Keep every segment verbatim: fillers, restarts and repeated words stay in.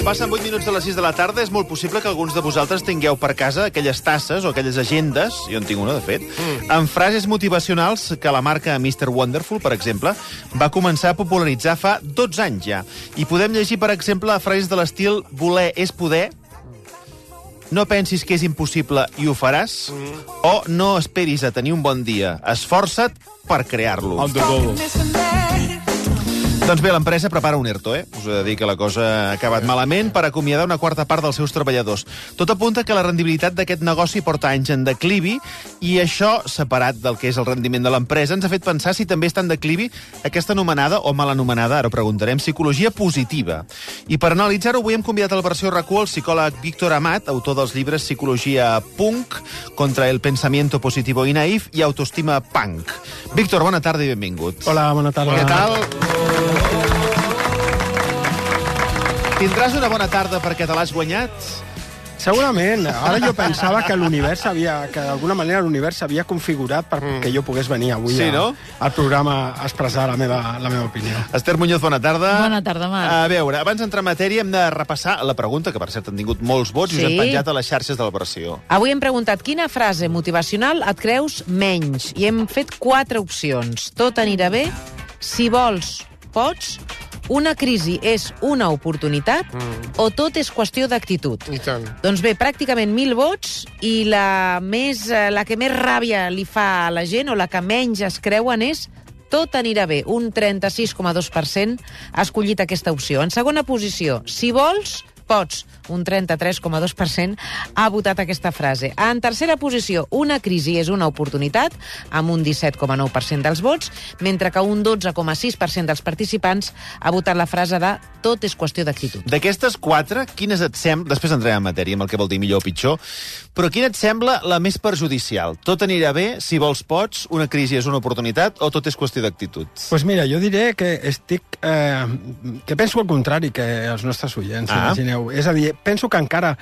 passen vuit minuts de les sis de la tarda. És molt possible que alguns de vosaltres tingueu per casa aquelles tasses o aquelles agendes, jo en tinc una, de fet, mm. amb frases motivacionals que la marca mister Wonderful, per exemple, va començar a popularitzar fa dotze anys ja. I podem llegir, per exemple, frases de l'estil voler és poder, no pensis que és impossible i ho faràs, mm. o no esperis a tenir un bon dia, esforça't per crear-lo. Doncs bé, l'empresa prepara un ERTO, eh? Us he de dir que la cosa ha acabat malament per acomiadar una quarta part dels seus treballadors. Tot apunta que la rendibilitat d'aquest negoci porta anys en declivi i això, separat del que és el rendiment de l'empresa, ens ha fet pensar si també està en declivi aquesta anomenada, o mal anomenada, ara ho preguntarem, psicologia positiva. I per analitzar-ho, avui hem convidat a la versió RAC u el psicòleg Víctor Amat, autor dels llibres Psicologia Punk, Contra el pensamiento positivo y naif i Autoestima Punk. Víctor, bona tarda i benvingut. Hola, bona tarda. Què tal? Tindràs una bona tarda perquè te l'has guanyat? Segurament. Ara jo pensava que l'univers havia, que d'alguna manera l'univers s'havia configurat perquè mm. jo pogués venir avui sí, no? a, al programa a expressar la meva, la meva opinió. Esther Muñoz, bona tarda. Bona tarda, Marc. A veure, abans d'entrar en matèria hem de repassar la pregunta, que per cert han tingut molts vots sí. i us han penjat a les xarxes de la versió. Avui hem preguntat quina frase motivacional et creus menys i hem fet quatre opcions. Tot anirà bé, si vols, pots, una crisi és una oportunitat mm. o tot és qüestió d'actitud? I tant. Doncs bé, pràcticament mil vots i la, més, la que més ràbia li fa a la gent o la que menys es creuen és tot anirà bé. Un trenta-sis coma dos per cent ha escollit aquesta opció. En segona posició, si vols, pots. Un trenta-tres coma dos per cent ha votat aquesta frase. En tercera posició, una crisi és una oportunitat, amb un disset coma nou per cent dels vots, mentre que un dotze coma sis per cent dels participants ha votat la frase de tot és qüestió d'actitud. D'aquestes quatre, quines et sembla... Després entrem en matèria, amb el que vol dir millor o pitjor, però quina et sembla la més perjudicial? Tot anirà bé, si vols pots, una crisi és una oportunitat o tot és qüestió d'actitud? Doncs pues mira, jo diré que estic... Eh, que penso al contrari que els nostres oients, ah. imagineu. És a dir, penso que encara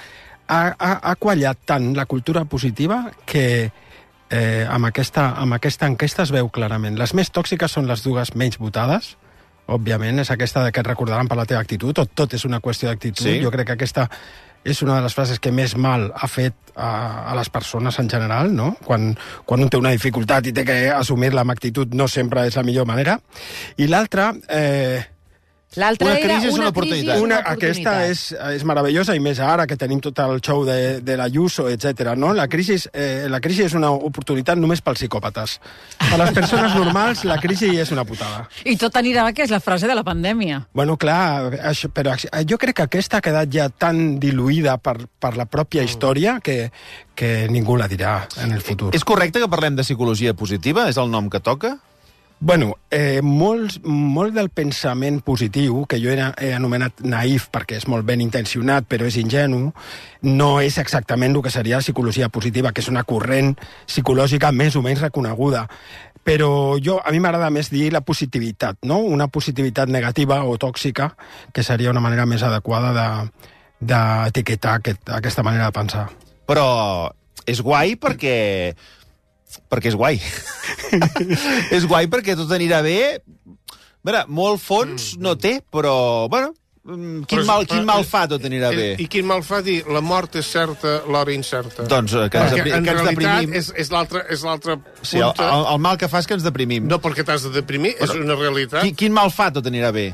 ha, ha, ha quallat tant la cultura positiva que eh, amb, aquesta, amb aquesta enquesta es veu clarament. Les més tòxiques són les dues menys votades, òbviament, és aquesta que et recordaran per la teva actitud, o tot és una qüestió d'actitud. Sí. Jo crec que aquesta és una de les frases que més mal ha fet a, a les persones en general, no? Quan, quan un té una dificultat i té que assumir-la amb actitud no sempre és la millor manera. I l'altra... Eh, L'altra una era crisi és una una oportunitat. crisi Una, una aquesta és, és meravellosa, i més ara que tenim tot el show de, de l'Ayuso, etcètera. No? La, crisi, eh, la crisi és una oportunitat només pels psicòpates. Per les persones normals, la crisi és una putada. I tot anirà bé, que és la frase de la pandèmia. Bueno, clar, això, però jo crec que aquesta ha quedat ja tan diluïda per, per la pròpia història que, que ningú la dirà en el futur. És correcte que parlem de psicologia positiva? És el nom que toca? Bueno, eh, molt, molt del pensament positiu, que jo he, he anomenat naïf perquè és molt ben intencionat però és ingenu, no és exactament el que seria la psicologia positiva, que és una corrent psicològica més o menys reconeguda. Però jo, a mi m'agrada més dir la positivitat, no? Una positivitat negativa o tòxica, que seria una manera més adequada d'etiquetar de, aquest, aquesta manera de pensar. Però és guai perquè... perquè és guai. És guai perquè tot anirà bé. A veure, molt fons mm. no té, però, bueno, quin, però, mal, quin mal fa tot anirà bé. I quin mal fa dir la mort és certa, l'hora incerta. Doncs que ens, perquè que en ens realitat deprimim. és, és l'altra punta. Sí, el, el, el mal que fa és que ens deprimim. No perquè t'has de deprimir, però, és una realitat. Quin, quin mal fa tot anirà bé?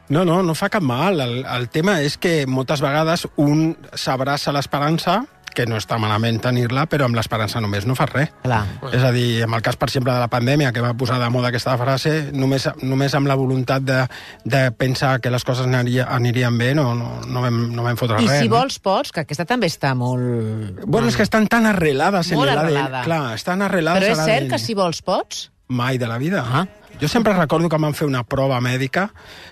No, no, no fa cap mal. El, el tema és que moltes vegades un s'abraça l'esperança, que no està malament tenir-la, però amb l'esperança només no fa res. Clar. És a dir, en el cas, per exemple, de la pandèmia, que va posar de moda aquesta frase, només, només amb la voluntat de, de pensar que les coses aniria, anirien bé, no, no, no, vam, no vam fotre I res. I si no? vols, pots, que aquesta també està molt... Bueno, és que estan tan arrelades molt en l'A D N. arrelada. Clar, estan arrelades Però és a l'A D N. cert que si vols, pots? Mai de la vida. Ah. Jo sempre recordo que em van fer una prova mèdica,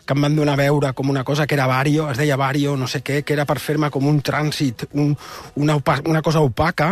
que em van donar a veure com una cosa que era vario, es deia vario, no sé què, que era per fer-me com un trànsit, un, una, opa, una cosa opaca,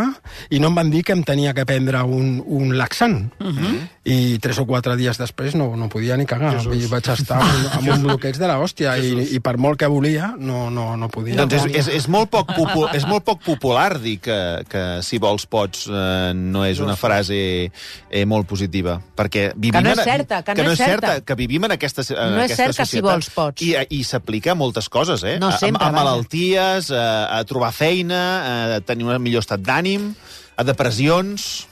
i no em van dir que em tenia que prendre un, un laxant. Uh -huh. I tres o quatre dies després no, no podia ni cagar. I vaig estar amb, amb un bloqueig de l'hòstia, i, i per molt que volia, no, no, no podia. Doncs és, és, és, molt poc popul, és molt poc popular dir que, que si vols pots eh, no és una frase eh, molt positiva, perquè vivim... Que no és ara... certa, que que no és certa. que vivim en aquesta, en No és aquesta cert que si societat. vols pots. I, I s'aplica a moltes coses, eh? No sempre, a, a vaja. malalties, a, a trobar feina, a tenir un millor estat d'ànim, a depressions...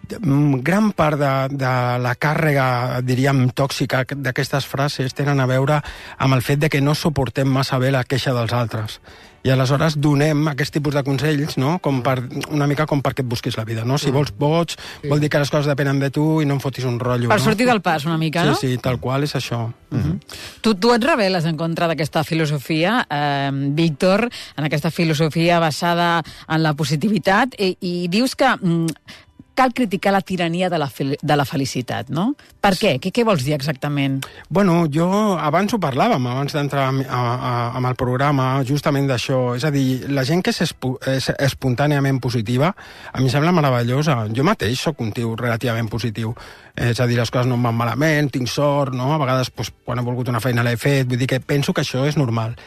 Gran part de, de la càrrega, diríem, tòxica d'aquestes frases tenen a veure amb el fet de que no suportem massa bé la queixa dels altres. I aleshores donem aquest tipus de consells, no? Com per, una mica com perquè et busquis la vida, no? Si vols boig, vol dir que les coses depenen de tu i no em fotis un rotllo, Per no? sortir del pas, una mica, no? Sí, sí, tal qual, és això. Uh-huh. Tu, tu et rebel·les en contra d'aquesta filosofia, eh, Víctor, en aquesta filosofia basada en la positivitat, i, i dius que mm, cal criticar la tirania de la, de la felicitat, no? Per què? Què, què vols dir exactament? Bueno, jo abans ho parlàvem, abans d'entrar amb el programa, justament d'això. És a dir, la gent que és, espo, és espontàniament positiva, a mi em sembla meravellosa. Jo mateix sóc un tio relativament positiu. És a dir, les coses no em van malament, tinc sort, no? A vegades, doncs, quan he volgut una feina l'he fet, vull dir que penso que això és normal.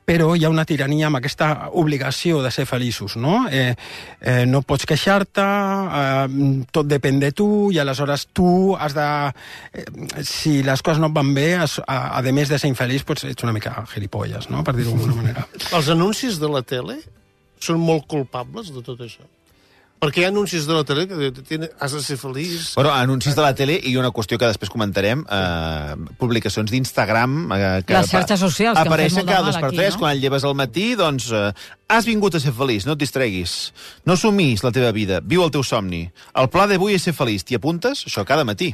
Però hi ha una tirania amb aquesta obligació de ser feliços, no? Eh, eh, no pots queixar-te, eh, tot depèn de tu, i aleshores tu has de... Eh, si les coses no et van bé, has, a, a més de ser infeliç, doncs ets una mica gilipolles, no? Per dir-ho d'alguna manera. Els anuncis de la tele són molt culpables de tot això. Perquè hi ha anuncis de la tele que tenen, has de ser feliç... Bueno, anuncis de la tele i una qüestió que després comentarem, eh, publicacions d'Instagram... Eh, que Les xarxes socials, que han fet apareixen molt de cada mal dos per aquí, tres, no? quan et lleves al matí, doncs... Eh, has vingut a ser feliç, no et distreguis. No sumis la teva vida, viu el teu somni. El pla d'avui és ser feliç. T'hi apuntes? Això cada matí.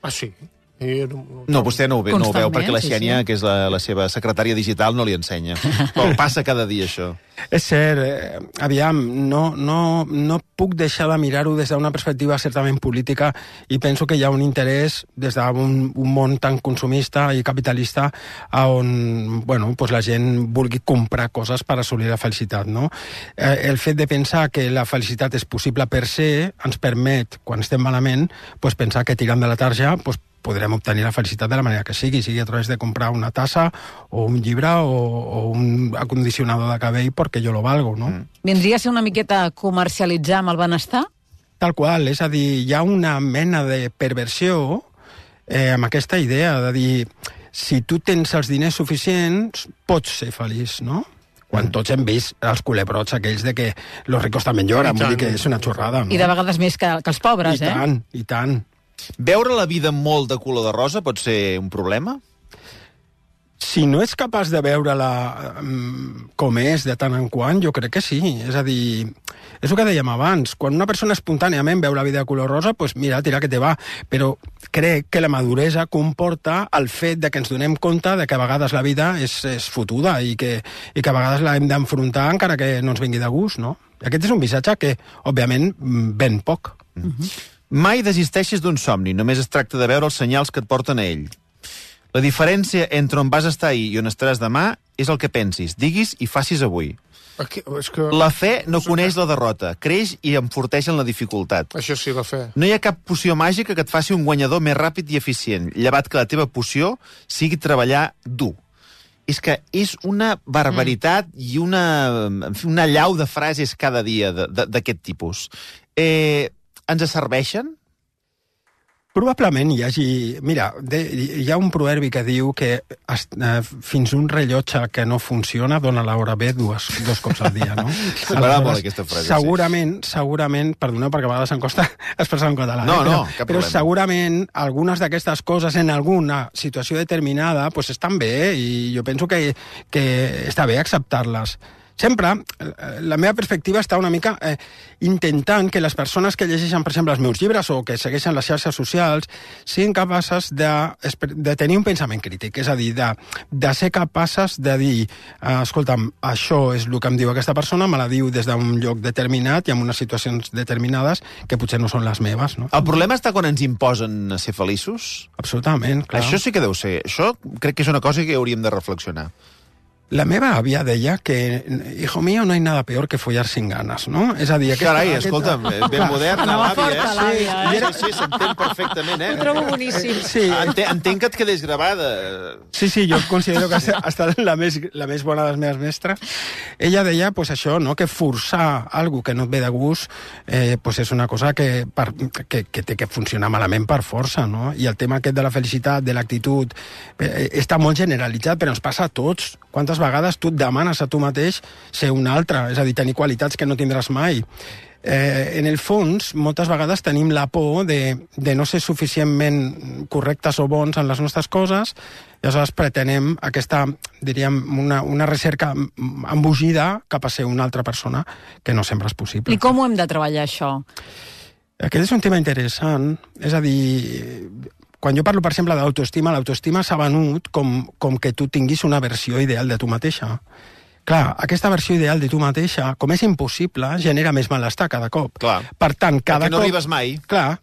Ah, sí? Jo no, no, No, vostè no ho, ve, no ho veu, Constantment, perquè la sí, Xènia, sí. que és la, la seva secretària digital, no li ensenya. Però passa cada dia, això. És cert, eh, aviam, no, no, no puc deixar de mirar-ho des d'una perspectiva certament política, i penso que hi ha un interès des d'un un món tan consumista i capitalista on, bueno, pues la gent vulgui comprar coses per assolir la felicitat, no? Eh, el fet de pensar que la felicitat és possible per se ens permet, quan estem malament, pues pensar que tirant de la tarja pues, podrem obtenir la felicitat de la manera que sigui, sigui a través de comprar una tassa o un llibre o, o un acondicionador de cabell perquè jo lo valgo, no? Mm. Vindria a ser una miqueta comercialitzar amb el benestar? Tal qual, és a dir, hi ha una mena de perversió eh, amb aquesta idea de dir, si tu tens els diners suficients, pots ser feliç, no? Quan tots hem vist els culebrots aquells de que los ricos també lloren, vull dir que és una xorrada, no? I de vegades més que, que els pobres, I eh? tant, i tant. Veure la vida molt de color de rosa pot ser un problema? Si no ets capaç de veure-la um, com és de tant en quant, jo crec que sí. És a dir, és el que dèiem abans. Quan una persona espontàniament veu la vida de color rosa, doncs mira, tira que te va. Però crec que la maduresa comporta el fet de que ens donem compte de que a vegades la vida és, és fotuda i que, i que a vegades la hem d'enfrontar encara que no ens vingui de gust, no? I aquest és un missatge que, òbviament, ven poc. Mm-hmm. Mai desisteixis d'un somni, només es tracta de veure els senyals que et porten a ell. La diferència entre on vas estar ahir i on estaràs demà és el que pensis, diguis i facis avui. Aquí, és que... La fe no coneix la derrota, creix i enforteix en la dificultat. Això sí, la fe. No hi ha cap poció màgica que et faci un guanyador més ràpid i eficient, llevat que la teva poció sigui treballar dur. És que és una barbaritat mm. i una, en fi, una llau de frases cada dia d'aquest tipus. Eh... Ens serveixen? Probablement hi hagi... Mira, de, hi ha un proverbi que diu que es, eh, fins un rellotge que no funciona dona l'hora bé dues, dos cops al dia, no? M'agrada molt aquesta frase, segurament, sí. segurament, perdoneu perquè a vegades em costa expressar en català, no, eh, però, no, cap però problema. segurament algunes d'aquestes coses en alguna situació determinada pues, estan bé i jo penso que, que està bé acceptar-les. Sempre, la meva perspectiva està una mica eh, intentant que les persones que llegeixen, per exemple, els meus llibres o que segueixen les xarxes socials siguin capaces de, de tenir un pensament crític, és a dir, de, de ser capaces de dir, eh, escolta'm, això és el que em diu aquesta persona, me la diu des d'un lloc determinat i en unes situacions determinades que potser no són les meves, no? El problema està quan ens imposen a ser feliços? Absolutament, clar. Això sí que deu ser. Això crec que és una cosa que hauríem de reflexionar. La meva àvia deia que, hijo mío, no hay nada peor que follar sin ganas, no? És a dir... Aquesta, Carai, aquesta... escolta'm, ben moderna, Anava l'àvia, forta, eh? l'àvia, Sí, eh? sí, sí, s'entén perfectament, eh? Ho trobo boníssim. Sí, Entenc, entenc que et quedés gravada. sí, sí, jo considero que ha estat la més, la més bona de les meves mestres. Ella deia, pues, això, no? Que forçar alguna que no et ve de gust eh, pues és una cosa que, per, que, que té que funcionar malament per força, no? I el tema aquest de la felicitat, de l'actitud, eh, està molt generalitzat, però ens passa a tots. Quantes vegades tu et demanes a tu mateix ser un altre, és a dir, tenir qualitats que no tindràs mai. Eh, en el fons, moltes vegades tenim la por de, de no ser suficientment correctes o bons en les nostres coses, i aleshores pretenem aquesta, diríem, una, una recerca embogida cap a ser una altra persona, que no sempre és possible. I com ho hem de treballar, això? Aquest és un tema interessant, és a dir, quan jo parlo, per exemple, d'autoestima, l'autoestima s'ha venut com, com que tu tinguis una versió ideal de tu mateixa. Clar, aquesta versió ideal de tu mateixa, com és impossible, genera més malestar cada cop. Clar. Per tant, cada Perquè no cop... arribes mai. Clar,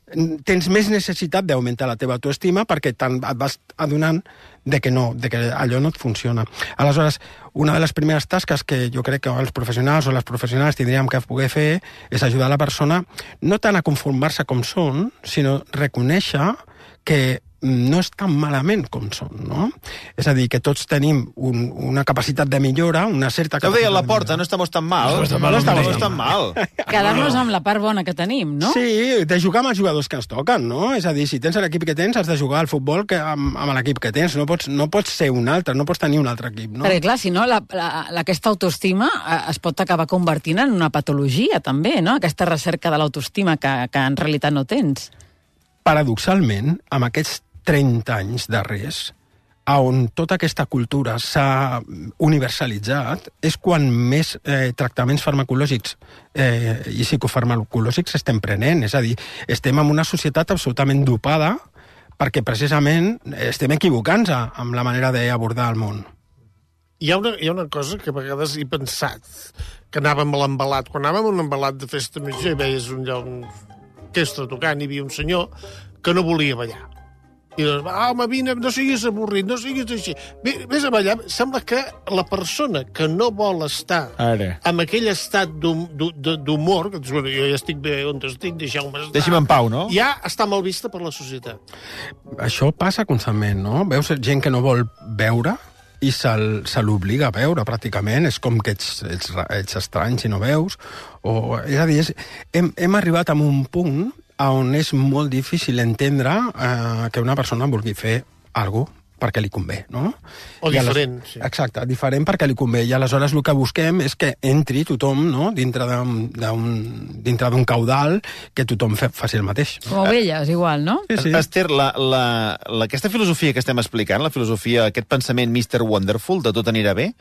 tens més necessitat d'augmentar la teva autoestima perquè et vas adonant de que no, de que allò no et funciona. Aleshores, una de les primeres tasques que jo crec que els professionals o les professionals tindríem que poder fer és ajudar la persona no tant a conformar-se com són, sinó reconèixer que no és tan malament com són, no? És a dir, que tots tenim un, una capacitat de millora, una certa Que ho capacitat deia la de Porta, millora. no estamos tan mal. No estamos tan mal. No estem mal. Quedar-nos amb la part bona que tenim, no? Sí, de jugar amb els jugadors que ens toquen, no? És a dir, si tens l'equip que tens, has de jugar al futbol que amb, amb l'equip que tens. No pots, no pots ser un altre, no pots tenir un altre equip, no? Perquè, clar, si no, la, la, aquesta autoestima eh, es pot acabar convertint en una patologia, també, no? Aquesta recerca de l'autoestima que, que en realitat no tens. Paradoxalment, amb aquests trenta anys darrers, on tota aquesta cultura s'ha universalitzat, és quan més eh, tractaments farmacològics eh, i psicofarmacològics estem prenent. És a dir, estem en una societat absolutament dopada perquè precisament estem equivocant-nos amb la manera d'abordar el món. Hi ha, una, hi ha una cosa que a vegades he pensat, que anàvem a l'embalat. Quan anàvem a un embalat de festa major i veies un lloc, un orquestra tocant, hi havia un senyor que no volia ballar. I doncs, ah, home, vine, no siguis avorrit, no siguis així. Vés a ballar. Sembla que la persona que no vol estar Ara. en aquell estat d'humor, que dius, bueno, jo ja estic bé on estic, deixeu-me estar, Deixi'm en pau, no? ja està mal vista per la societat. Això passa constantment, no? Veus gent que no vol veure i se, se l'obliga a veure, pràcticament. És com que ets, ets, ets estrany si no veus. O, és a dir, és, hem, hem arribat a un punt on és molt difícil entendre eh, que una persona vulgui fer alguna cosa perquè li convé, no? O I diferent, ales... sí. Exacte, diferent perquè li convé. I aleshores el que busquem és que entri tothom, no?, dintre d'un caudal que tothom fe, faci el mateix. No? Com ovelles, igual, no? Sí, sí. Esther, la, la, la, aquesta filosofia que estem explicant, la filosofia, aquest pensament mister Wonderful, de tot anirà bé,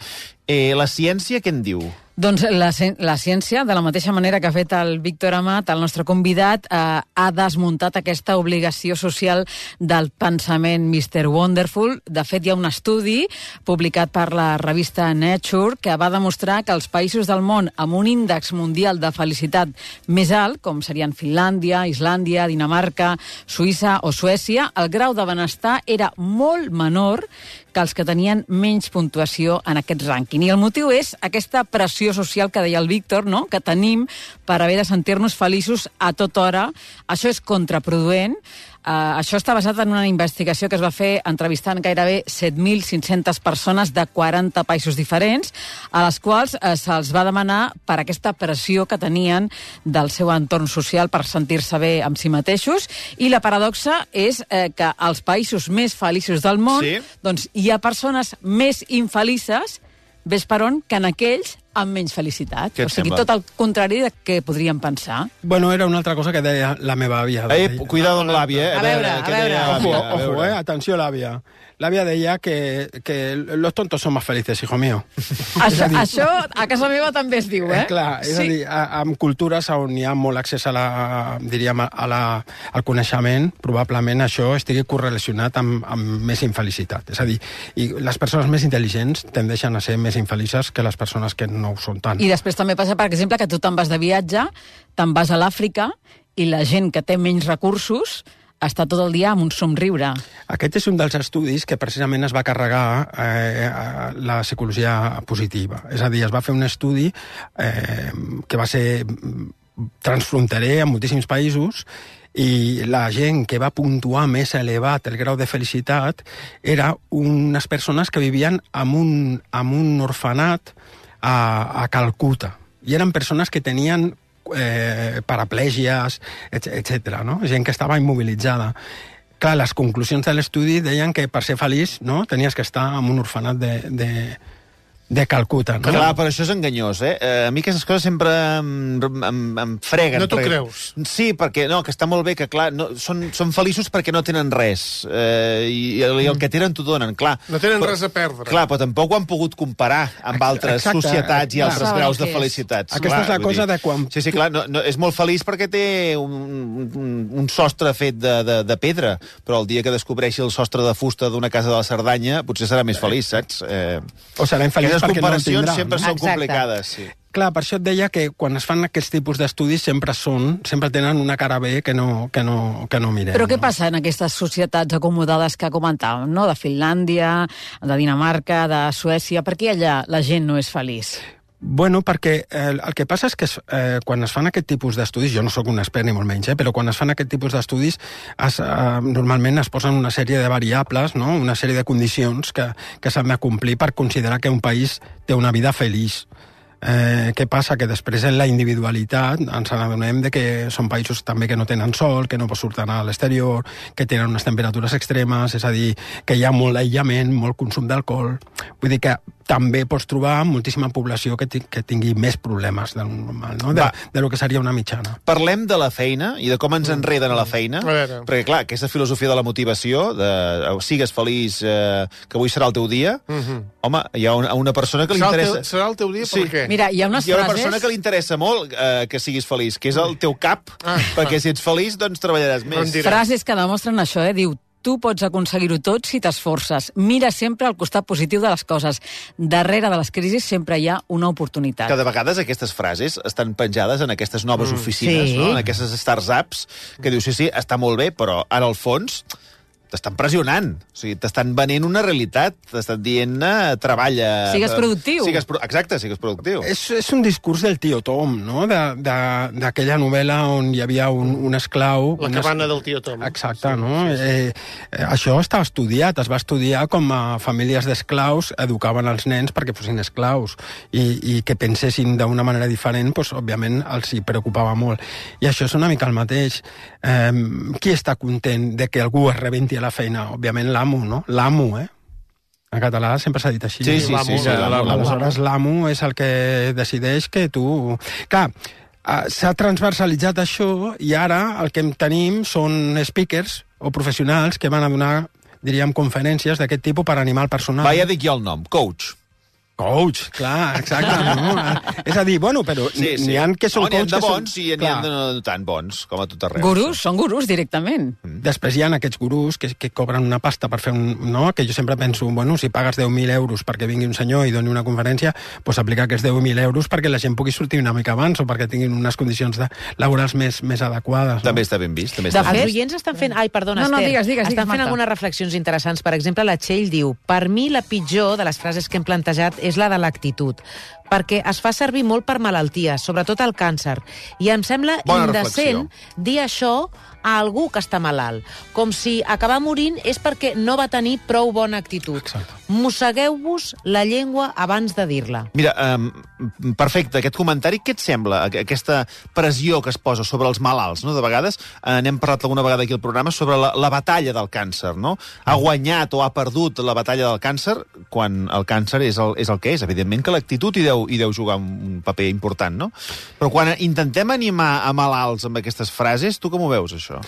eh, la ciència què en diu? Doncs la, la ciència, de la mateixa manera que ha fet el Víctor Amat, el nostre convidat, eh, ha desmuntat aquesta obligació social del pensament mister Wonderful. De fet, hi ha un estudi publicat per la revista Nature que va demostrar que els països del món amb un índex mundial de felicitat més alt, com serien Finlàndia, Islàndia, Dinamarca, Suïssa o Suècia, el grau de benestar era molt menor que els que tenien menys puntuació en aquest rànquing. I el motiu és aquesta pressió social que deia el Víctor, no?, que tenim per haver de sentir-nos feliços a tota hora. Això és contraproduent. Uh, això està basat en una investigació que es va fer entrevistant gairebé set mil cinc-centes persones de quaranta països diferents, a les quals uh, se'ls va demanar per aquesta pressió que tenien del seu entorn social per sentir-se bé amb si mateixos, i la paradoxa és uh, que als països més feliços del món, Sí. doncs hi ha persones més infelices, ves per on, que en aquells amb menys felicitat. Què et O sigui, sembla? tot el contrari de què podríem pensar. Bueno, era una altra cosa que deia la meva àvia. Eh, Deia- cuidado amb l'àvia, eh? A veure, què a veure. deia Ojo, l'àvia? A ojo, veure. eh, atenció l'àvia. L'àvia deia que, que los tontos son más felices, hijo mío. Això, això a casa meva també es diu, eh? Eh, clar, és a dir, a, amb cultures on hi ha molt accés a la, diríem, a la, al coneixement, probablement això estigui correlacionat amb, amb més infelicitat. És a dir, i les persones més intel·ligents tendeixen a ser més infelices que les persones que no ho són tant. I després també passa, per exemple, que tu te'n vas de viatge, te'n vas a l'Àfrica, i la gent que té menys recursos estar tot el dia amb un somriure. Aquest és un dels estudis que precisament es va carregar eh, la psicologia positiva. És a dir, es va fer un estudi eh, que va ser transfronterer en moltíssims països i la gent que va puntuar més elevat el grau de felicitat era unes persones que vivien en un, en un orfenat a, a Calcuta. I eren persones que tenien eh, paraplègies, etcètera, no? Gent que estava immobilitzada. Clar, les conclusions de l'estudi deien que per ser feliç, no, tenies que estar en un orfenat de, de, de Calcuta. No? Clar, però això és enganyós, eh? A mi aquestes coses sempre em, em, em freguen. No t'ho perquè... creus? Sí, perquè no, que està molt bé, que clar, no, són, són feliços perquè no tenen res. Eh, i, I el que tenen t'ho donen, clar. No tenen però, res a perdre. Clar, però tampoc ho han pogut comparar amb altres Exacte, societats i clar. altres Saben graus el de que és. felicitats. Aquesta clar, és la vull cosa dir. de quan... Sí, sí, clar, no, no, és molt feliç perquè té un, un, un sostre fet de, de, de pedra, però el dia que descobreixi el sostre de fusta d'una casa de la Cerdanya potser serà més feliç, saps? Eh, O serà infeliç aquestes perquè no el comparacions tindrà. sempre no? són Exacte. complicades, sí. Clar, per això et deia que quan es fan aquests tipus d'estudis sempre són, sempre tenen una cara B que no, que no, que no mirem. Però què no? passa en aquestes societats acomodades que comentàvem, no? De Finlàndia, de Dinamarca, de Suècia. Per què allà la gent no és feliç? Bueno, perquè eh, el que passa és que es, eh, quan es fan aquest tipus d'estudis, jo no sóc un expert ni molt menys, eh, però quan es fan aquest tipus d'estudis es, eh, normalment es posen una sèrie de variables, no? Una sèrie de condicions que, que s'han de complir per considerar que un país té una vida feliç. Eh, què passa? Que després en la individualitat ens adonem de que són països també que no tenen sol, que no surten a l'exterior, que tenen unes temperatures extremes, és a dir, que hi ha molt aïllament, molt consum d'alcohol. Vull dir que també pots trobar moltíssima població que, que tingui més problemes del normal, no? De, de lo que seria una mitjana. Parlem de la feina i de com ens enreden a la feina, A veure. perquè, clar, aquesta filosofia de la motivació, de eh, sigues feliç, eh, que avui serà el teu dia, Mhm. home, hi ha una, una persona que li Serà el, interessa... teu, serà el teu dia Sí. per què? Mira, hi ha unes Hi ha una frases... persona que li interessa molt eh, que siguis feliç, que és el teu cap, Ah. perquè si ets feliç, doncs treballaràs més. Rendiràs. Frases que demostren això, eh? Diu, tu pots aconseguir-ho tot si t'esforces. Mira sempre el costat positiu de les coses. Darrere de les crisis sempre hi ha una oportunitat. Que de vegades aquestes frases estan penjades en aquestes noves Mm. oficines, Sí. no? En aquestes startups, que dius, sí, sí, està molt bé, però ara al fons t'estan pressionant. O sigui, t'estan venent una realitat, t'estan dient eh, treballa... Sigues productiu. Sigues pro... Exacte, sigues productiu. És, és un discurs del tio Tom, no? D'aquella novel·la on hi havia un, un esclau... La un cabana es- del tio Tom. Exacte, no? Eh, eh, això està estudiat, es va estudiar com a famílies d'esclaus educaven els nens perquè fossin esclaus i, i que pensessin d'una manera diferent, doncs, òbviament, els hi preocupava molt. I això és una mica el mateix. Eh, qui està content de que algú es rebenti a la feina? Òbviament l'amo, no? L'amo, eh? En català sempre s'ha dit així. Sí, sí, sí, sí, Que, l'amo, l'amo. Aleshores, l'amo és el que decideix que tu... Clar, eh, s'ha transversalitzat això i ara el que tenim són speakers o professionals que van a donar, diríem, conferències d'aquest tipus per animar el personal. Va, ja dic jo el nom, coach. Coach, clar, exacte. No? És a dir, bueno, però Sí, sí. n'hi ha que són no, n'hi ha coach de que són... bons i n'hi ha Clar. de no tan bons, com a tot arreu. Gurus, són gurus directament. Després hi ha aquests gurus que, que cobren una pasta per fer un... No? Que jo sempre penso, bueno, si pagues deu mil euros perquè vingui un senyor i doni una conferència, doncs aplicar aquests deu mil euros perquè la gent pugui sortir una mica abans o perquè tinguin unes condicions de, laborals més, més adequades. No? També està ben vist. També De està ben fet- Els oients estan fent... Ai, perdona, No, no, Esther. digues, digues, estan digues, fent Marta. algunes reflexions interessants. Per exemple, la Txell diu, per mi la pitjor de les frases que hem plantejat és la de l'actitud, perquè es fa servir molt per malalties, sobretot el càncer. I em sembla Bona indecent reflexió. dir això a algú que està malalt. Com si acabar morint és perquè no va tenir prou bona actitud. Exacte. Mossegueu-vos la llengua abans de dir-la. Mira, um, perfecte, aquest comentari, què et sembla? Aqu- Aquesta pressió que es posa sobre els malalts, no? De vegades, eh, n'hem parlat alguna vegada aquí al programa, sobre la, la batalla del càncer, no? Ha guanyat o ha perdut la batalla del càncer quan el càncer és el, és el que és. Evidentment que l'actitud hi deu, hi deu jugar un paper important, no? Però quan intentem animar a malalts amb aquestes frases, tu com ho veus, això?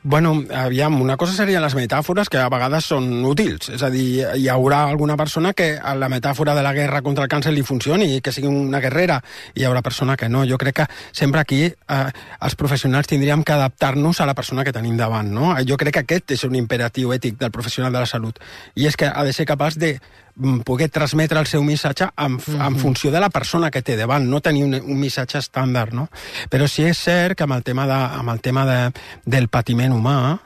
Bueno, aviam, una cosa serien les metàfores que a vegades són útils. És a dir, hi haurà alguna persona que a la metàfora de la guerra contra el càncer li funcioni i que sigui una guerrera. I hi haurà persona que no. Jo crec que sempre aquí eh, els professionals tindríem que adaptar-nos a la persona que tenim davant, no? Jo crec que aquest és un imperatiu ètic del professional de la salut. I és que ha de ser capaç de poder transmetre el seu missatge en, mm-hmm. en funció de la persona que té davant, no tenir un, un missatge estàndard, no? Però sí és cert que amb el tema, de, amb el tema de, del patiment humà,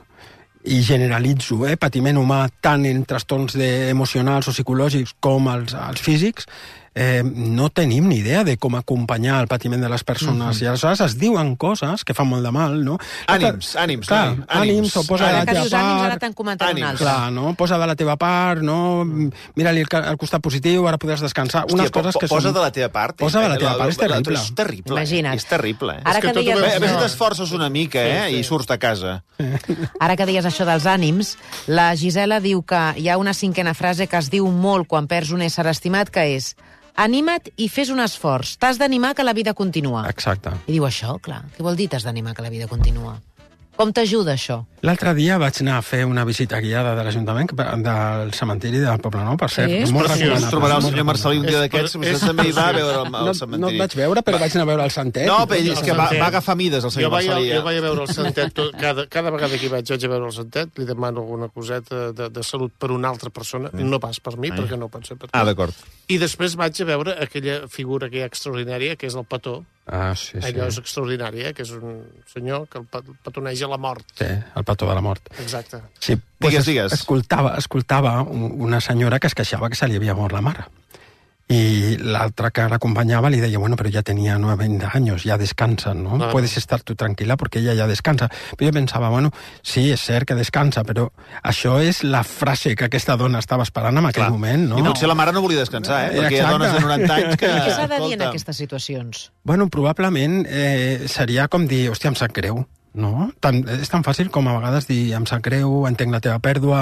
i generalitzo, eh, patiment humà tant en trastorns emocionals o psicològics com els, els físics, eh, no tenim ni idea de com acompanyar el patiment de les persones. Mm-hmm. I aleshores es diuen coses que fan molt de mal, no? Ànims, ànims. Clar, ànims, ànims, o posa Ara de la que teva dius ànims, ara part... t'han comentat un altre. Clar, no? Posa de la teva part, no? Mira-li el, el costat positiu, ara podràs descansar. Hòstia, Unes coses que posa són... de la teva part. Posa de la teva part, és terrible. És terrible. Imagina't. És terrible. Ara és que, que deies tot... això- A més, t'esforces una mica, eh? I surts de casa. Ara que deies això dels ànims, la Gisela diu que hi ha una cinquena frase que es diu molt quan perds un ésser estimat, que és: anima't i fes un esforç. T'has d'animar que la vida continua. Exacte. I diu això, clar. Què vol dir t'has d'animar que la vida continua? Com t'ajuda això? L'altre dia vaig anar a fer una visita guiada de l'Ajuntament del cementiri del Poble Nou, per cert. Sí, és molt preciós. recomanable. Es trobarà el molt senyor Marcelí un dia És- d'aquests, és- vostè també hi va a veure el, el No, cementiri. no et vaig veure, però vaig anar a veure el Santet. No, però és que va, Santet. va agafar mides, el Jo senyor vaig, Marcelí. jo vaig a veure el Santet, tot, cada, cada vegada que hi vaig, vaig a veure el Santet, li demano alguna coseta de, de salut per una altra persona, no pas per mi, perquè no pot ser per tu. Ah, d'acord. I després vaig a veure aquella figura que hi ha extraordinària, que és el petó. Ah, sí, sí. Allò és extraordinari, eh? Que és un senyor que el pa- petoneja la mort. Sí, el petó de la mort. Exacte. Sí, Digues, es- digues. Escoltava, escoltava un- una senyora que es queixava que se li havia mort la mare. Y la otra que l'acompanyava li deia, bueno, pero ya tenía noventa años, ya descansa, ¿no? Claro. Puedes estar tú tranquila porque ella ya descansa. Però jo pensava, bueno, sí, és cert que descansa, però això és la frase que aquesta dona estava esperant en aquell Clar. moment, no? I potser la mare no volia descansar, eh? Eh, Perquè hi ha exacte. dones de noranta anys que... Què s'ha de dir en escolta, aquestes situacions? Bueno, probablement eh, seria com dir, hòstia, em sap greu, no? Tan, és tan fàcil com a vegades dir em sap greu, entenc la teva pèrdua,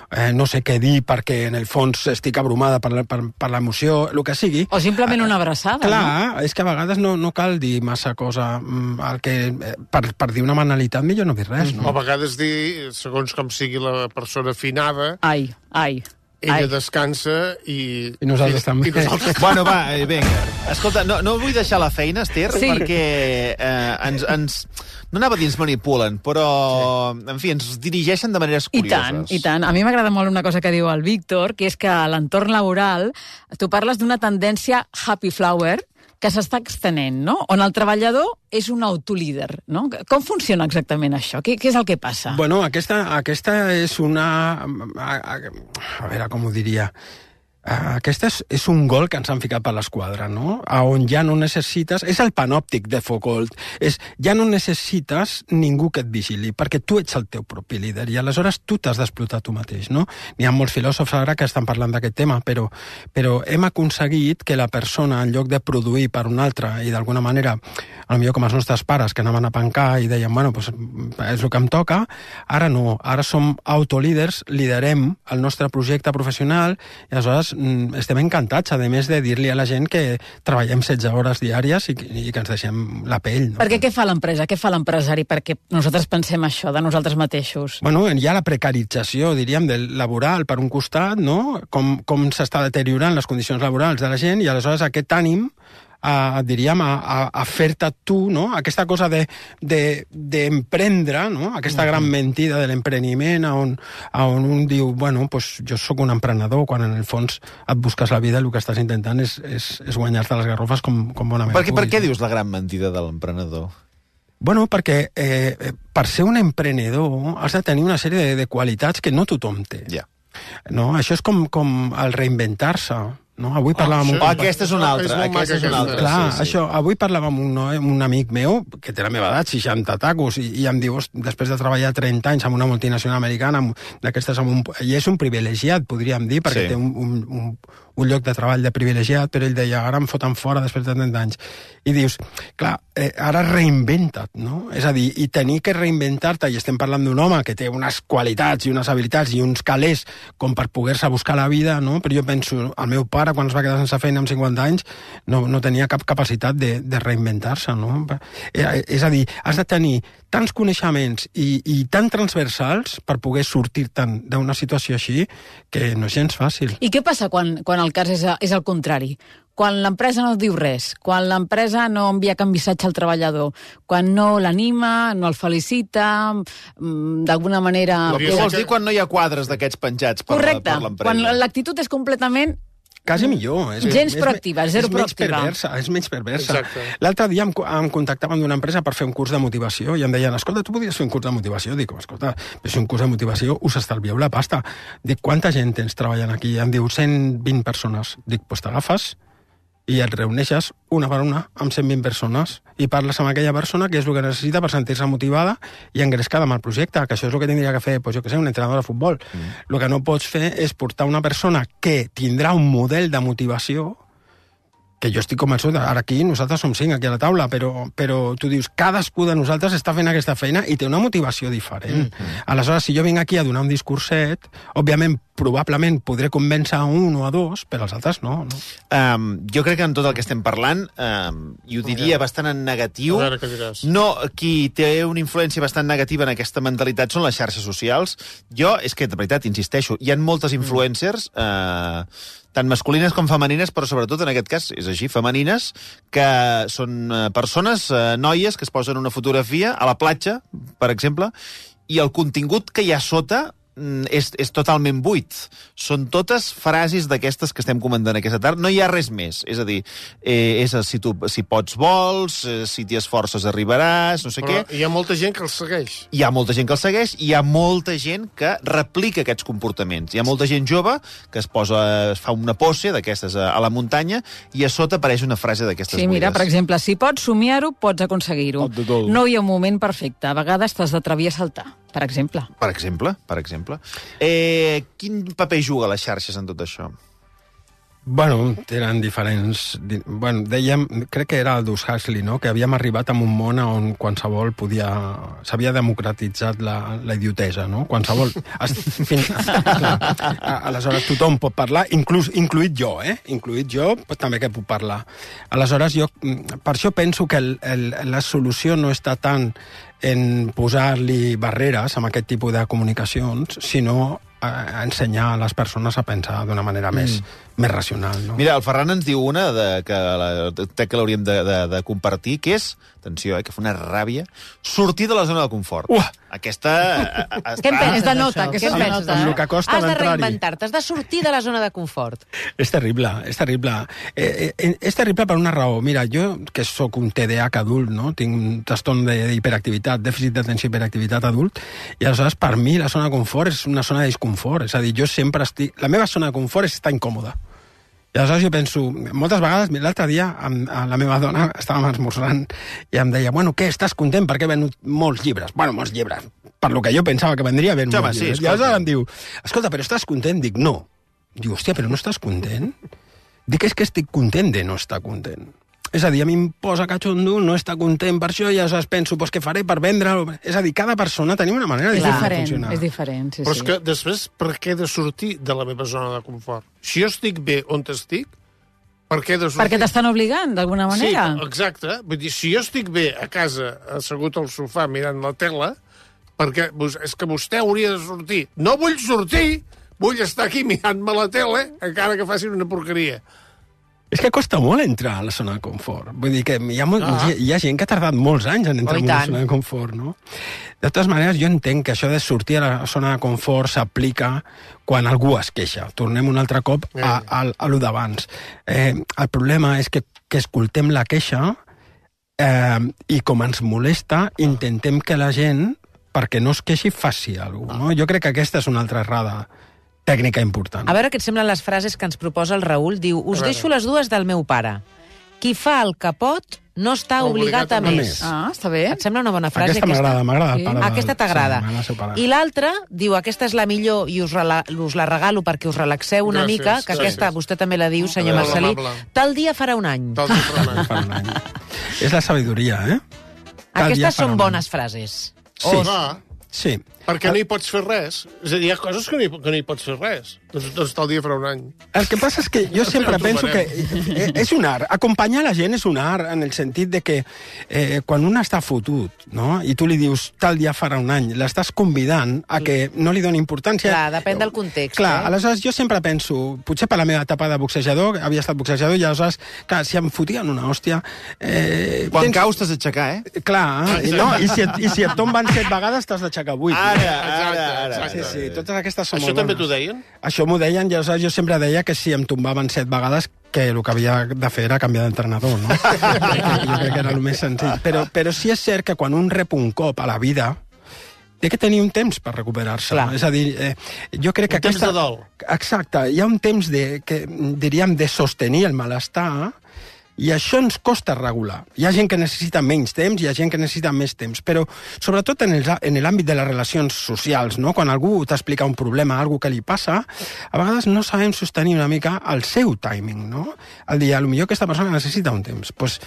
eh, no sé què dir perquè en el fons estic abrumada per, la- per, per l'emoció, el que sigui. O simplement una abraçada, no? Clar, és que a vegades no, no cal dir massa cosa. mm, El que, eh, per, per dir una banalitat millor no dir res, O no? a vegades dir, segons com sigui la persona afinada, Ai, ai. ella Ai. descansa i... I nosaltres també. I nosaltres Bueno, va, eh, vinga. Escolta, no, no vull deixar la feina, Esther, Sí. perquè eh, ens, ens... No anava a dir ens manipulen, però, en fi, ens dirigeixen de maneres I curioses. tant, i tant. A mi m'agrada molt una cosa que diu el Víctor, que és que a l'entorn laboral tu parles d'una tendència happy flower que s'està extenent, no? On el treballador és un autolíder, no? Com funciona exactament això? Què, què és el que passa? Bueno, aquesta, aquesta és una... A, a, a veure, com ho diria... Aquesta és, és un gol que ens han ficat per l'esquadra, no? A on ja no necessites... És el panòptic de Foucault. És, ja no necessites ningú que et vigili, perquè tu ets el teu propi líder i aleshores tu t'has d'explotar tu mateix, no? N'hi ha molts filòsofs ara que estan parlant d'aquest tema, però, però hem aconseguit que la persona, en lloc de produir per una altra i d'alguna manera, a lo millor com els nostres pares, que anaven a pencar i deien, bueno, pues, és el que em toca, ara no. Ara som autolíders, liderem el nostre projecte professional i aleshores estem encantats, a més de dir-li a la gent que treballem setze hores diàries i, i que ens deixem la pell. No? Perquè què fa l'empresa? Què fa l'empresari perquè nosaltres pensem això de nosaltres mateixos? Bueno, hi ha la precarització, diríem, del laboral per un costat, no? Com, com s'està deteriorant les condicions laborals de la gent i aleshores aquest ànim a, diríem, a, a, a fer-te tu, no? Aquesta cosa de, de, d'emprendre, no? Aquesta gran mentida de l'empreniment on, on un diu, bueno, pues jo sóc un emprenedor, quan en el fons et busques la vida, el que estàs intentant és, és, és guanyar-te les garrofes com, com bonament Per què, per puguis, què no? dius la gran mentida de l'emprenedor? Bueno, perquè eh, per ser un emprenedor has de tenir una sèrie de, de qualitats que no tothom té. Ja. No? Això és com, com el reinventar-se. No? Avui parlàvem... això amb un... Oh, aquesta és una altra, És molt aquesta és maca, una altra. Clar, sí, sí. això, avui parlava amb un, no, un amic meu, que té la meva edat, seixanta tacos, i, i em diu, "Host, després de treballar trenta anys amb una multinacional americana, amb, d'aquestes amb un... I és un privilegiat, podríem dir, perquè Sí. té un, un, un, un lloc de treball de privilegiat, però ell deia, ara em foten fora després de trenta anys. I dius, clar, eh, ara reinventa't, no? És a dir, i tenir que reinventar-te, i estem parlant d'un home que té unes qualitats i unes habilitats i uns calés com per poder-se buscar la vida, no? Però jo penso, el meu pare, quan es va quedar sense feina amb cinquanta anys, no, no tenia cap capacitat de, de reinventar-se, no? Eh, és a dir, has de tenir tants coneixements i, i tan transversals per poder sortir-te'n d'una situació així que no és gens fàcil. I què passa quan, quan el cas és, a, és el contrari? Quan l'empresa no diu res, quan l'empresa no envia cap missatge al treballador, quan no l'anima, no el felicita, mm, d'alguna manera... Què vols dir quan no hi ha quadres d'aquests penjats per, Correcte, per l'empresa? quan l'actitud és completament quasi millor. És, Gens és, proactiva, zero és menys proactiva. perversa, és menys perversa. Exacte. L'altre dia em, em contactaven d'una empresa per fer un curs de motivació i em deien, escolta, tu podries fer un curs de motivació? Dic, escolta, però si un curs de motivació us estalvieu la pasta. Dic, quanta gent tens treballant aquí? Em diu, cent vint persones. Dic, doncs t'agafes i et reuneixes una per una amb cent vint persones i parles amb aquella persona que és el que necessita per sentir-se motivada i engrescada amb el projecte, que això és el que tindria que fer, doncs jo que sé, un entrenador de futbol. Mm. El que no pots fer és portar una persona que tindrà un model de motivació, que jo estic convençut, ara aquí nosaltres som cinc aquí a la taula, però, però tu dius, cadascú de nosaltres està fent aquesta feina i té una motivació diferent. Mm-hmm. Aleshores, si jo vinc aquí a donar un discurset, òbviament, probablement podré convèncer a un o a dos, però els altres no. no. Um, jo crec que en tot el que estem parlant, um, i ho diria bastant en negatiu, A veure què diràs. no, qui té una influència bastant negativa en aquesta mentalitat són les xarxes socials. Jo, és que, de veritat, insisteixo, hi ha moltes influencers, eh, tant masculines com femenines, però sobretot en aquest cas és així, femenines, que són eh, persones, eh, noies, que es posen una fotografia a la platja, per exemple, i el contingut que hi ha sota és, és totalment buit. Són totes frases d'aquestes que estem comentant aquesta tarda. No hi ha res més. És a dir, eh, és si, tu, si pots vols, eh, si t'hi esforces arribaràs, no sé Però què. hi ha molta gent que els segueix. Hi ha molta gent que el segueix i hi ha molta gent que replica aquests comportaments. Hi ha molta gent jove que es posa, es fa una pose d'aquestes a, a la muntanya i a sota apareix una frase d'aquestes Sí, mira, buides. per exemple, si pots somiar-ho, pots aconseguir-ho. Pot de tot. No hi ha un moment perfecte. A vegades t'has d'atrevir a saltar, per exemple. Per exemple, per exemple. Eh, quin paper juga les xarxes en tot això? Bueno, eren diferents... di- Bueno, dèiem, crec que era el d'Us Huxley, no?, que havíem arribat a un món on qualsevol podia... S'havia democratitzat la, la idiotesa, no? Qualsevol... Es, fins, clar, aleshores tothom pot parlar, inclús, incluït jo, eh? Incluït jo, pues, també que puc parlar. Aleshores, jo per això penso que el, el, la solució no està tant en posar-li barreres amb aquest tipus de comunicacions, sinó a ensenyar a les persones a pensar d'una manera més, mm. més racional. No? Mira, el Ferran ens diu una de, que la, crec que l'hauríem de, de, de compartir, que és, atenció, eh, que fa una ràbia, sortir de la zona de confort. Uah! Aquesta... A, a, Què en està- penses És de d'això? nota, que Què és en de penses nota, amb d'això? el que costa Has de d'entrar-hi. reinventar-te, has de sortir de la zona de confort. És terrible, és terrible. Eh, eh, és terrible per una raó. Mira, jo, que sóc un T D A H adult, no? Tinc un trastorn d'hiperactivitat, dèficit d'atenció i hiperactivitat adult, i aleshores, per mi, la zona de confort és una zona de disconfort. És a dir, jo sempre estic... La meva zona de confort és estar incòmoda. I aleshores jo penso, moltes vegades, l'altre dia amb, amb la meva dona estàvem esmorzant i em deia, bueno, què, estàs content perquè he venut molts llibres? Bueno, molts llibres, per lo que jo pensava que vendria ben Home, molts sí, llibres. I escolta. aleshores em diu, escolta, però estàs content? Dic, no. Diu, hòstia, però no estàs content? Dic, és que estic content de no estar content. És a dir, a mi em posa catxondo, no està content per això, i aleshores penso, pues, què faré per vendre-ho? És a dir, cada persona tenim una manera És diferent de diferent, funcionar. és diferent, sí, Però és sí. que després, per què he de sortir de la meva zona de confort? Si jo estic bé on estic, per què he de sortir? Perquè t'estan obligant, d'alguna manera. Sí, exacte. Vull dir, si jo estic bé a casa, assegut al sofà mirant la tele, perquè vos- és que vostè hauria de sortir. No vull sortir, vull estar aquí mirant-me la tele, encara que facin una porqueria. És que costa molt entrar a la zona de confort. Vull dir que hi ha, molt, Ah. hi, hi ha gent que ha tardat molts anys en entrar Oh, i en una tant. zona de confort, no? De totes maneres, jo entenc que això de sortir a la zona de confort s'aplica quan algú es queixa. Tornem un altre cop a, a, a lo d'abans. Eh, el problema és que, que escoltem la queixa eh, i com ens molesta, intentem que la gent, perquè no es queixi, faci alguna cosa. No? Jo crec que aquesta és una altra errada tècnica important. A veure què et semblen les frases que ens proposa el Raül. Diu, us A veure. deixo les dues del meu pare. Qui fa el que pot no està obligat, Obligat a a més. més. Ah, està bé. Et sembla una bona frase? Aquesta m'agrada, m'agrada el Sí. pare del- Aquesta t'agrada. Sí, m'agrada el seu pare. I l'altra, diu, aquesta és la millor i us, rela, us la regalo perquè us relaxeu una Gràcies, mica, que gràcies. aquesta vostè també la diu, senyor Molt Marcelí. amable. Tal dia farà un any. Tal dia farà un any. Fa un any. És la sabidoria, eh? Cada dia Aquestes farà són un any. bones frases. Sí. Ah, Sí. perquè no hi pots fer res. És a dir, hi ha coses que no hi, que no hi pots fer res. Doncs, doncs tal dia farà un any. El que passa és que jo sempre ho penso que trobarem. és un art. Acompanyar la gent és un art en el sentit de que eh, quan un està fotut, no?, i tu li dius tal dia farà un any, l'estàs convidant a que no li doni importància. Clar, depèn del context, Clar, eh? aleshores jo sempre penso, potser per la meva etapa de boxejador, havia estat boxejador, i aleshores, clar, si em fotien una hòstia... Eh, Quan caus t'has d'aixecar, eh? Clar, i, no? I, si et, i si et tomben set vegades t'has d'aixecar vuit. Ara, Exacte, ara, ara. Sí, sí, totes aquestes són Això molt també bones. t'ho deien? Això això m'ho deien, jo, jo sempre deia que si em tombaven set vegades que el que havia de fer era canviar d'entrenador, no? Jo crec que era el més senzill. Però, però sí és cert que quan un rep un cop a la vida, té que tenir un temps per recuperar-se. És a dir, eh, jo crec que un aquesta... temps de dol. Exacte. Hi ha un temps de, que, diríem, de sostenir el malestar, i això ens costa regular. Hi ha gent que necessita menys temps, hi ha gent que necessita més temps, però sobretot en, el, en l'àmbit de les relacions socials, no? Quan algú t'explica un problema, algú que li passa, a vegades no sabem sostenir una mica el seu timing, no? El dir, potser aquesta persona necessita un temps. Pues,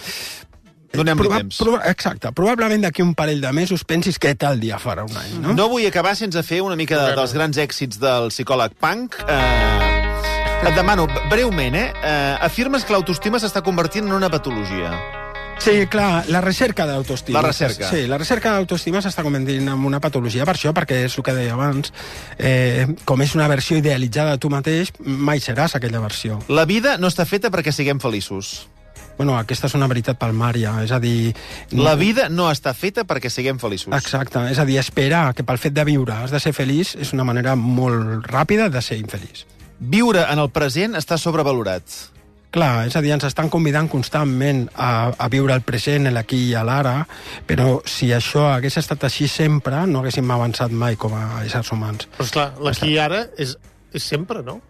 Donem-li temps. Proba, exacte. Probablement d'aquí un parell de mesos pensis què tal dia farà un any, no? No vull acabar sense fer una mica de, dels grans èxits del psicòleg punk. Eh, et demano, breument, eh, eh, afirmes que l'autoestima s'està convertint en una patologia. Sí, clar, la recerca d'autoestima. La recerca. Sí, la recerca d'autoestima s'està convertint en una patologia per això, perquè és el que deia abans, eh, com és una versió idealitzada de tu mateix, mai seràs aquella versió. La vida no està feta perquè siguem feliços. Bueno, aquesta és una veritat palmària, és a dir... La vida no està feta perquè siguem feliços. Exacte, és a dir, esperar que pel fet de viure has de ser feliç és una manera molt ràpida de ser infeliç. Viure en el present està sobrevalorat. Clar, és a dir, ens estan convidant constantment a, a viure el present, l'aquí i a l'ara, però si això hagués estat així sempre, no haguéssim avançat mai com a éssers humans. Però esclar, l'aquí i ara és, és sempre, no?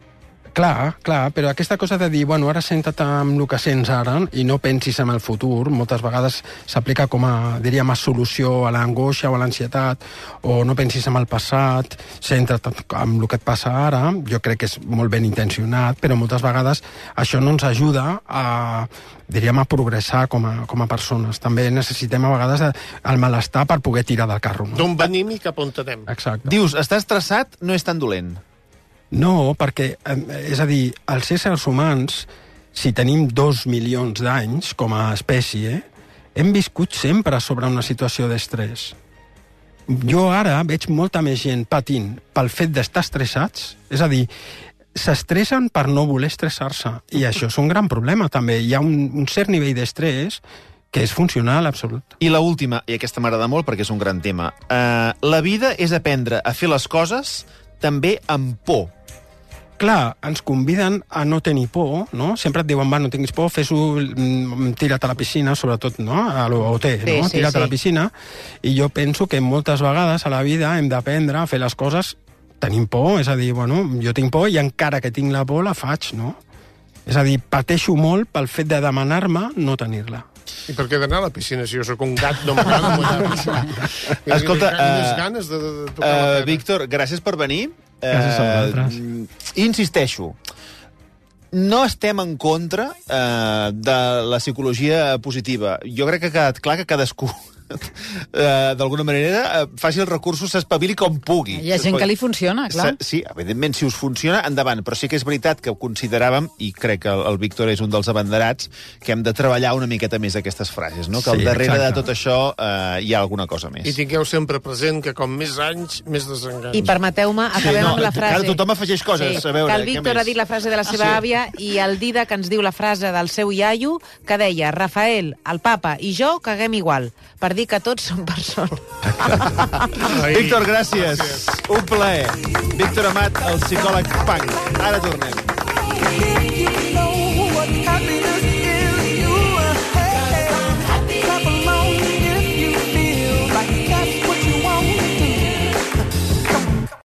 Clar, clar, però aquesta cosa de dir, bueno, ara senta't amb el que sents ara i no pensis en el futur, moltes vegades s'aplica com a, diríem, a solució a l'angoixa o a l'ansietat, o no pensis en el passat, centra't amb el que et passa ara, jo crec que és molt ben intencionat, però moltes vegades això no ens ajuda a, diríem, a progressar com a, com a persones. També necessitem a vegades el malestar per poder tirar del carro. No? D'on venim i cap on anem. Exacte. Dius, estar estressat no és tan dolent. No, perquè, és a dir, els éssers humans, si tenim dos milions d'anys com a espècie, hem viscut sempre sobre una situació d'estrès. Jo ara veig molta més gent patint pel fet d'estar estressats, és a dir, s'estressen per no voler estressar-se, i això és un gran problema també. Hi ha un, un cert nivell d'estrès que és funcional, absolut. I l'última, i aquesta m'agrada molt perquè és un gran tema, uh, la vida és aprendre a fer les coses també amb por. Clar, ens conviden a no tenir por, no? Sempre et diuen, va, no tinguis por, fes-ho, tira't a la piscina, sobretot, no? A l'O T, sí, no? Sí, tira't sí. a la piscina. I jo penso que moltes vegades a la vida hem d'aprendre a fer les coses tenint por, és a dir, bueno, jo tinc por i encara que tinc la por la faig, no? És a dir, pateixo molt pel fet de demanar-me no tenir-la. I per què d'anar a la piscina? Si jo sóc un gat, no m'agrada mullar a la piscina. Escolta, Quines uh, ganes de, de tocar la uh, terra. Víctor, gràcies per venir. Gràcies a vosaltres. Uh, insisteixo, no estem en contra uh, de la psicologia positiva. Jo crec que ha quedat clar que cadascú Uh, d'alguna manera, uh, faci els recursos, s'espavili com pugui. Hi ha gent que li funciona, clar. Sí, evidentment, si us funciona, endavant. Però sí que és veritat que consideràvem, i crec que el, el Víctor és un dels abanderats, que hem de treballar una miqueta més aquestes frases, no? Que al Sí, darrere exacte. de tot això uh, hi ha alguna cosa més. I tingueu sempre present que com més anys, més desenganys. I permeteu-me, acabem no, amb la frase. ara tothom afegeix coses, a veure, que el què Víctor més? ha dit la frase de la seva Sí. àvia i el Dida que ens diu la frase del seu iaio, que deia, Rafael, el papa i jo caguem igual, per dir que tots som persones. Ai, Víctor, gràcies. gràcies. Un plaer. Víctor Amat, el psicòleg punk. Ara tornem.